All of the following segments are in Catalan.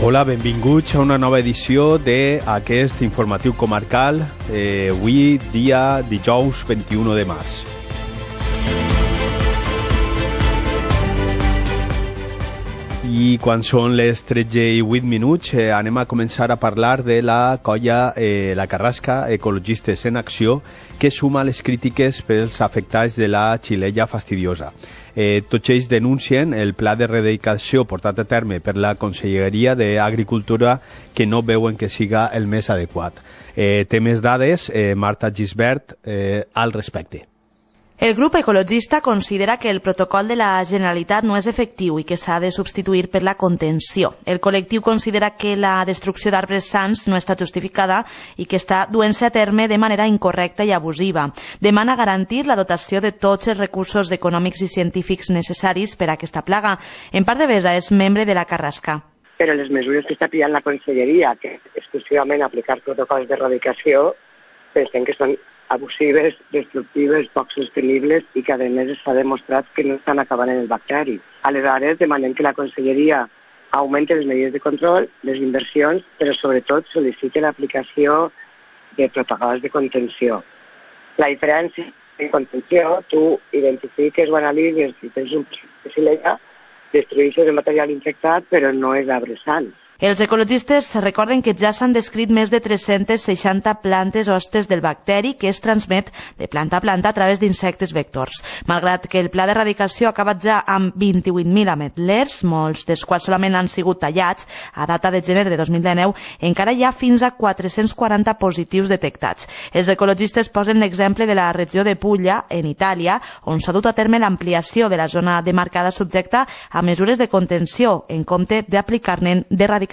Hola, benvinguts a una nova edició d'aquest informatiu comarcal, avui dia dijous 21 de març. I quan són les 13:08 anem a començar a parlar de la colla La Carrasca, Ecologistes en Acció, que suma les crítiques pels afectats de la xilella fastidiosa. Tots ells denuncien el pla de erradicació portat a terme per la Conselleria d'Agricultura, que no veuen que siga el més adequat. Té més dades, Marta Gisbert, al respecte. El grup ecologista considera que el protocol de la Generalitat no és efectiu i que s'ha de substituir per la contenció. El col·lectiu considera que la destrucció d'arbres sans no està justificada i que està duent-se a terme de manera incorrecta i abusiva. Demana garantir la dotació de tots els recursos econòmics i científics necessaris per a aquesta plaga. En part de Besa és membre de la Carrasca. Però les mesures que està pillant la Conselleria, que exclusivament aplicar protocols d'erradicació, pensem que són abusives, destructives, poc sostenibles i que a més s'ha demostrat que no estan acabant en el bacteri. Aleshores demanem que la Conselleria augmenti les mesures de control, les inversions, però sobretot sol·liciti l'aplicació de protocols de contenció. La diferència en contenció, tu identifiques o analitzes si tens un xilella, destruïssis el material infectat, però no és arbre sans. Els ecologistes recorden que ja s'han descrit més de 360 plantes hostes del bacteri que es transmet de planta a planta a través d'insectes vectors. Malgrat que el pla d'erradicació ha acabat ja amb 28.000 ametlers, molts dels quals solament han sigut tallats a data de gener de 2019, encara hi ha fins a 440 positius detectats. Els ecologistes posen l'exemple de la regió de Puglia, en Itàlia, on s'ha dut a terme l'ampliació de la zona demarcada subjecta a mesures de contenció, en compte d'aplicar-ne d'erradicació. I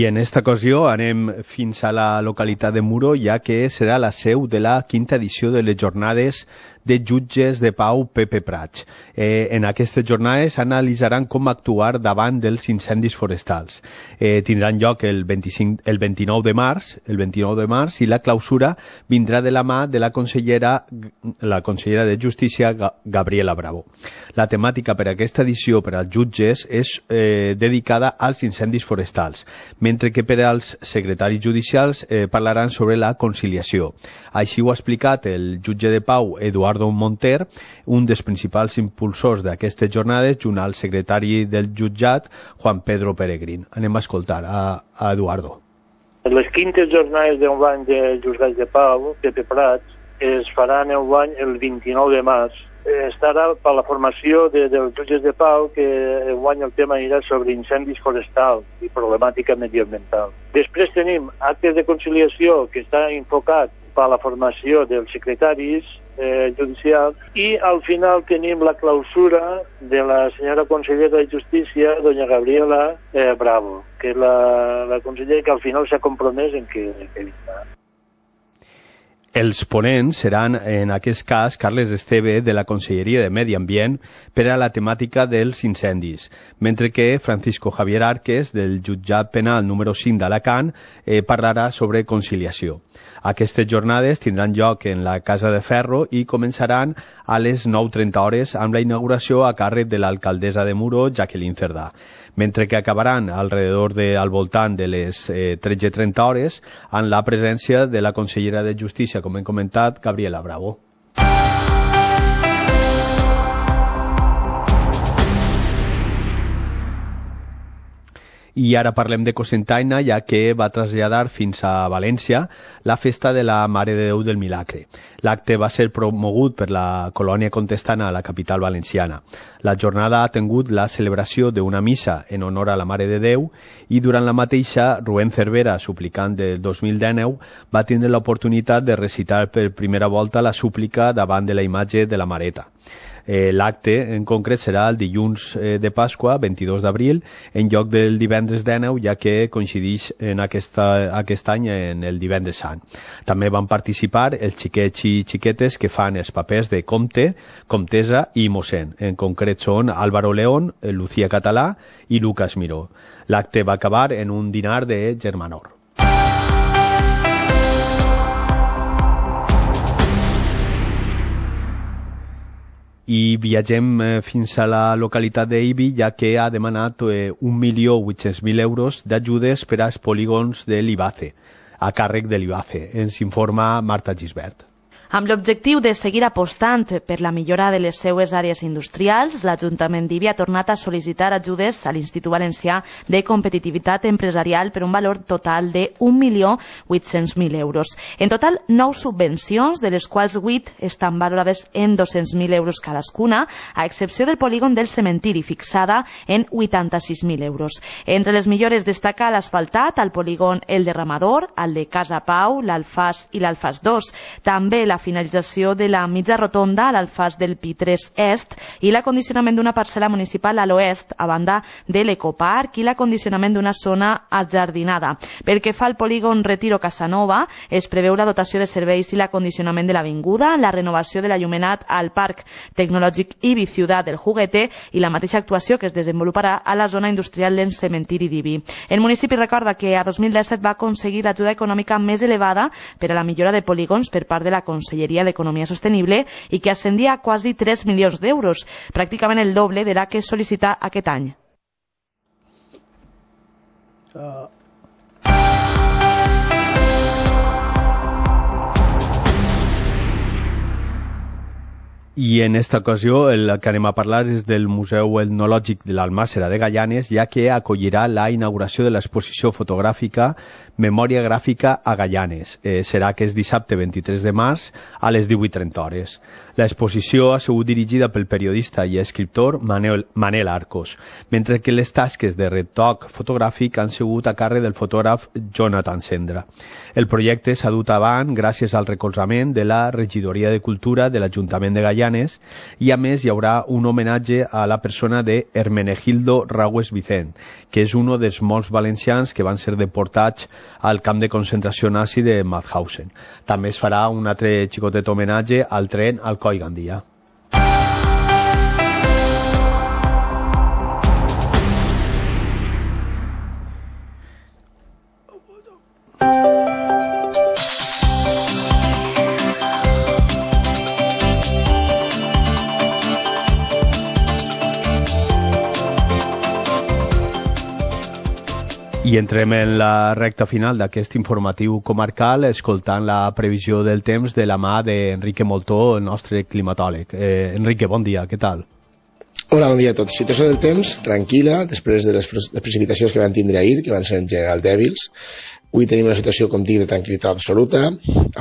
en esta ocasió anem fins a la localitat de Muro, ja que serà la seu de la quinta edició de les jornades de jutges de pau Pepe Prats. En aquestes jornades analitzaran com actuar davant dels incendis forestals. Tindran lloc el 29 de març i la clausura vindrà de la mà de la consellera de Justícia, Gabriela Bravo. La temàtica per a aquesta edició per als jutges és dedicada als incendis forestals, mentre que per als secretaris judicials parlaran sobre la conciliació. Així ho ha explicat el jutge de pau Eduardo Monter, un dels principals impulsors d'aquestes jornades, junt al secretari del jutjat, Juan Pedro Peregrín. Anem a escoltar a Eduardo. Les quintes jornades d'enguany de jutjats de pau, Pepe Prats, es faran enguany el 29 de març. Estarà per la formació dels jutges de pau, que enguany el tema anirà sobre incendis forestals i problemàtica mediambiental. Després tenim actes de conciliació, que està enfocat per la formació dels secretaris judicials, i al final tenim la clausura de la senyora consellera de Justícia, doña Gabriela Bravo, que és la consellera que al final s'ha compromès en que vindrà. Els ponents seran, en aquest cas, Carles Esteve, de la Conselleria de Medi Ambient, per a la temàtica dels incendis, mentre que Francisco Javier Arques, del jutjat penal número 5 d'Alacant, parlarà sobre conciliació. Aquestes jornades tindran lloc en la Casa de Ferro i començaran a les 9:30 amb la inauguració a càrrec de l'alcaldessa de Muro, Jacqueline Cerdà, mentre que acabaran al voltant de les 13:30 amb la presència de la consellera de Justícia, com hem comentat, Gabriela Bravo. I ara parlem de Cocentaina, ja que va traslladar fins a València la festa de la Mare de Déu del Milagre. L'acte va ser promogut per la colònia contestana a la capital valenciana. La jornada ha tingut la celebració d'una missa en honor a la Mare de Déu i durant la mateixa, Rubén Cervera, suplicant del 2019, va tindre l'oportunitat de recitar per primera volta la súplica davant de la imatge de la Mareta. L'acte en concret serà el dilluns de Pasqua, 22 d'abril, en lloc del divendres 19, ja que coincideix en aquest any en el divendres sant. També van participar els xiquets i xiquetes que fan els papers de comte, comtessa i mossèn. En concret són Álvaro León, Lucía Català i Lucas Miró. L'acte va acabar en un dinar de germanor. I viatgem fins a la localitat d'Ibi, ja que ha demanat 1.800.000 euros d'ajudes per als polígons de l'IBACE, a càrrec de l'IBACE. Ens informa Marta Gisbert. Amb l'objectiu de seguir apostant per la millora de les seues àrees industrials, l'Ajuntament d'Ibi ha tornat a sol·licitar ajudes a l'Institut Valencià de Competitivitat Empresarial per un valor total de 1.800.000 euros. En total, 9 subvencions, de les quals 8 estan valorades en 200.000 euros cadascuna, a excepció del polígon del cementiri, fixada en 86.000 euros. Entre les millores destaca l'asfaltat al polígon El Derramador, el de Casa Pau, l'Alfàs i l'Alfàs 2. També la finalització de la mitja rotonda a l'Alfàs del Pi3 Est i l'acondicionament d'una parcel·la municipal a l'oest a banda de l'Ecoparc i l'acondicionament d'una zona ajardinada. Pel que fa al polígon Retiro Casanova, es preveu la dotació de serveis i l'acondicionament de l'avinguda, la renovació de l'allumenat al Parc Tecnològic Ibi Ciutat del Juguete i la mateixa actuació que es desenvoluparà a la zona industrial del cementiri d'Ibi. El municipi recorda que a 2017 va aconseguir l'ajuda econòmica més elevada per a la millora de polígons per part de la Conselleria d'Economia Sostenible i que ascendia a quasi 3 milions d'euros, pràcticament el doble de la que es sol·licita aquest any. I en esta ocasió el que anem a parlar és del Museu Etnològic de l'Almàssera de Gaianes, ja que acollirà la inauguració de l'exposició fotogràfica Memòria Gràfica a Gaianes. Serà aquest dissabte 23 de març a les 18:30 hores. L'exposició ha sigut dirigida pel periodista i escriptor Manel Arcos, mentre que les tasques de retoc fotogràfic han sigut a càrrec del fotògraf Jonathan Sendra. El projecte s'ha dut avant gràcies al recolzament de la Regidoria de Cultura de l'Ajuntament de Gaianes i a més hi haurà un homenatge a la persona de Hermenegildo Raues Vicent, que és un dels molts valencians que van ser deportats al camp de concentració nazi de Mauthausen. També es farà un altre xicotet homenatge al tren Alcoi Gandia. I entrem en la recta final d'aquest informatiu comarcal escoltant la previsió del temps de la mà d'Enrique Moltó, el nostre climatòleg. Enrique, bon dia, què tal? Hola, bon dia a tots. Situació del temps tranquil·la després de les precipitacions que van tindre ahir, que van ser en general dèbils. Avui tenim una situació, com dic, de tranquil·litat absoluta,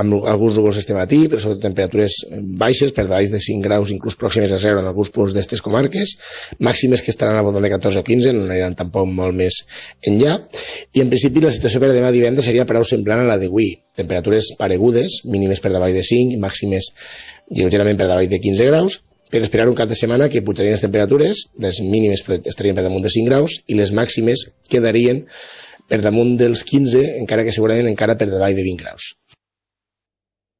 amb alguns núvols este matí, però sobretot temperatures baixes, per davall de 5 graus, inclús pròximes a 0 en alguns punts d'estes comarques, màximes que estaran al voltant de 14 o 15, no aniran tampoc molt més enllà, i en principi la situació per demà divendres seria prou semblant a la d'avui, temperatures paregudes, mínimes per davall de 5 i màximes lleugerament per davall de 15 graus, per esperar un cap de setmana que pujarien les temperatures, les mínimes estarien per damunt de 5 graus i les màximes quedarien per damunt dels 15, encara que segurament encara per davall de 20 graus.